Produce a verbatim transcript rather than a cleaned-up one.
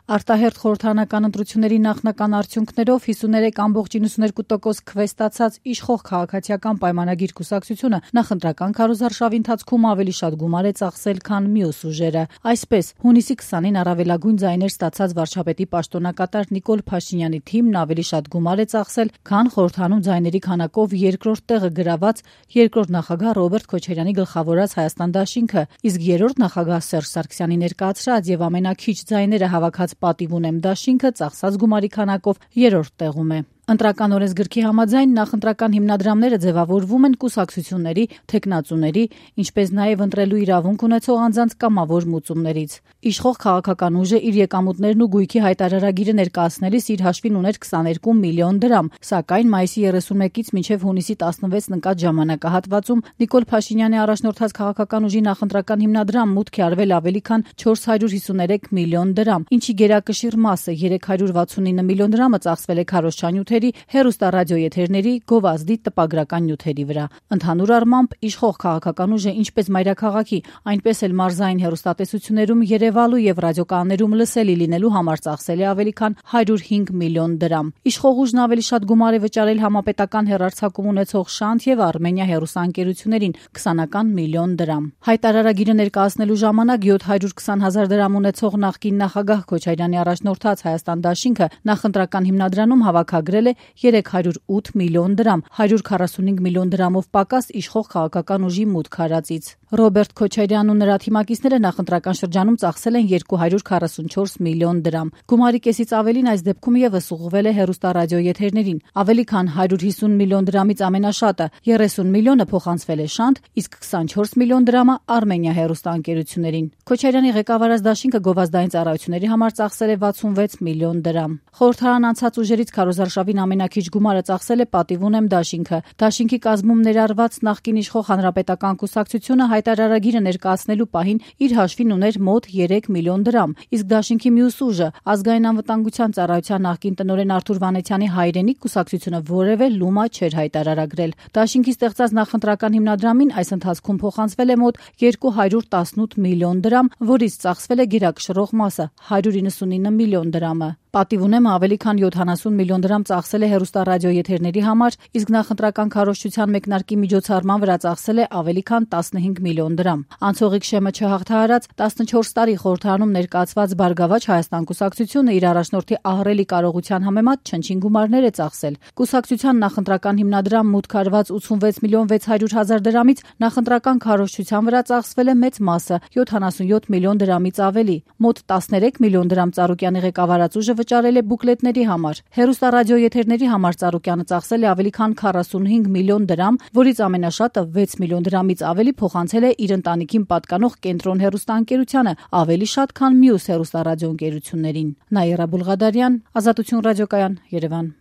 Արտահերթ խորհրդարանական ընտրությունների նախնական արդյունքներով հիսուններեք կամբողջ իննսուներկու տոկոս քվեստացած իշխող քաղաքացիական պայմանագիր կուսակցությունը նախընտրական քարոզարշավի ընթացքում ավելի շատ գումար է ծախսել, քան մյուս ուժերը։ Այսպես, հունիսի քսանին առավելագույն ձայներ ստացած վարչապետի պաշտոնակատար Նիկոլ Փաշինյանի թիմն ավելի շատ գումար է ծախսել, քան խորհրդանում ձայների քանակով երկրորդ տեղը գրաված երկրորդ նախագահ Ռոբերտ Քոչարյանի գլխավորած Հայաստան դաշինքը, իսկ երրորդ նախագահ Սերժ Սարգսյանի ներկայացրած եւ ամենակիչ ձայները հավաքած Պատիվ ունեմ դաշինքը ծախսած գումարի քանակով երրորդ տեղում է։ Ընտրական օրենսգրքի համաձայն նախընտրական հիմնադրամները ձևավորվում են կուսակցությունների, թեկնածուների, ինչպես նաև ընտրելու իրավունք ունեցող անձանց կամավոր մուծումներից։ Իշխող քաղաքական ուժը իր եկամուտներն ու գույքի հայտարարագիրը ներկայացնելիս իր հաշվին ուներ քսաներկու միլիոն դրամ, սակայն մայիսի երեսունմեկից մինչև հունիսի տասնվեց ընկած ժամանակահատվածում Նիկոլ Փաշինյանի առաջնորդած քաղաքական ուժի նախընտրական հիմնադրամ մուտք է արվել ավելի քան չորս հարյուր հիսուներեք միլիոն դրամ, ինչի գերակշիռ մասը երեք հարյուր վաթսունինը միլիոն դրամը ծախսվել է քարոզչանյութերի, հեռուստառադիոեթերների, գովազդի, տպագրական նյութերի վրա։ Ընդհանուր առմամբ իշխող քաղաքական ուժը ինչպես մայրաքաղաքի, այնպես էլ մարզային հեռուստատեսություններում երևալու եւ ռադիոկանալներում լսելի լինելու համար ծախսել է ավելի քան հարյուր հինգ միլիոն դրամ։ Իշխող ուժն ավելի շատ գումար է վճարել համապետական հեռարձակում ունեցող Շանթ եւ Արմենիա հեռուստաընկերություններին քսանական միլիոն դրամ։ Հայտարարագիրը ներկայացնելու ժամանակ յոթ հարյուր քսան հազար դրամ ունեցող նախկին նախագահ Քոչարյանի առաջնորդած Հայաստան դաշինքը նախընտրական հիմնադրամում հավաքագրել է երեք հարյուր ութ միլիոն դրամ, հարյուր քառասունհինգ միլիոն դրամով պակաս իշխող քաղաքական ուժի մուտք արածից։ Ռոբերտ Քոչարյանն ու նրա թիմակիցները նախընտրական շրջանում ծախսել են երկու հարյուր քառասունչորս միլիոն դրամ։ Գումարի կեսից ավելին այս դեպքում եւս ուղղվել է հեռուստառադիոեթերներին։ Ավելի քան հարյուր հիսուն միլիոն դրամից ամենաշատը երեսուն միլիոնը փոխանցվել է Շանթ, իսկ քսանչորս միլիոն դրամը Արմենիա հեռուստաընկերություններին։ Քոչարյանի ղեկավարած դաշինքը գովազդային ծառայությունների համար ծախսել է վաթսունվեց միլիոն դրամ։ Խորհրդարան անցած ուժերից քարոզարշավին ամենակիչ գումարը ծախսել է Պատիվ ունեմ դաշինքը։ Դաշինքի կազմում ներառված նախկին իշխող հանրապետական կուսակցությունը հայտարարագիրը ներկայացնելու պահին իր հաշվին ուներ մոտ երեք միլիոն դրամ, իսկ դաշինքի մյուս ուժը ազգային անվտանգության ծառայության նախկին տնօրեն Արթուր Վանեցյանի հայրենիք կուսակցությունը որևէ լումա չէր հայտարարագրել։ Դաշինքի ստեղծած նախընտրական հիմնադրամին այս ընթացքում փոխանցվել է մոտ երկու հարյուր տասնութ միլիոն դրամ, որից ծախսվել է գերակշռող մասը հարյուր իննսունինը միլիոն դրամը։ Պատիվ ունեմը ավելի քան յոթանասուն միլիոն դրամ ծախսել է հեռուստառադիոեթերների համար, իսկ նախընտրական քարոզչության մեկնարկի միջոցառման վրա ծախսել է ավելի քան տասնհինգ միլիոն դրամ։ Անցողիկ շեմը չհաղթահարած տասնչորս տարի խորհրդարանում ներկայացված Բարգավաճ Հայաստան կուսակցությունը իր առաջնորդի ահռելի կարողության համեմատ չնչին գումարներ է ծախսել։ Կուսակցության նախընտրական հիմնադրամ մուտք արված ութսունվեց միլիոն վեց հարյուր հազար դրամից նախընտրական քարոզչության վրա ծախսվել է մեծ մասը՝ յոթանասունյոթ միլիոն դրամից ավելի։ Մոտ տասներեք միլիոն դրամ Ծառուկյանի ղեկավարած ուժը վճարել է բուկլետների համար։ Հեռուստառադիոեթերների համար Ծառուկյանը ծախսել է ավելի քան քառասունհինգ միլիոն դրամ, որից ամենաշատը վեց միլիոն դրամից ավելի փոխանցել է իր ընտանիքին պատկանող Կենտրոն հեռուստաընկերությանը, ավելի շատ, քան մյուս հեռուստառադիոընկերություններին։ Նաիրա Բուլղադարյան, Ազատություն ռադիոկայան, Երևան։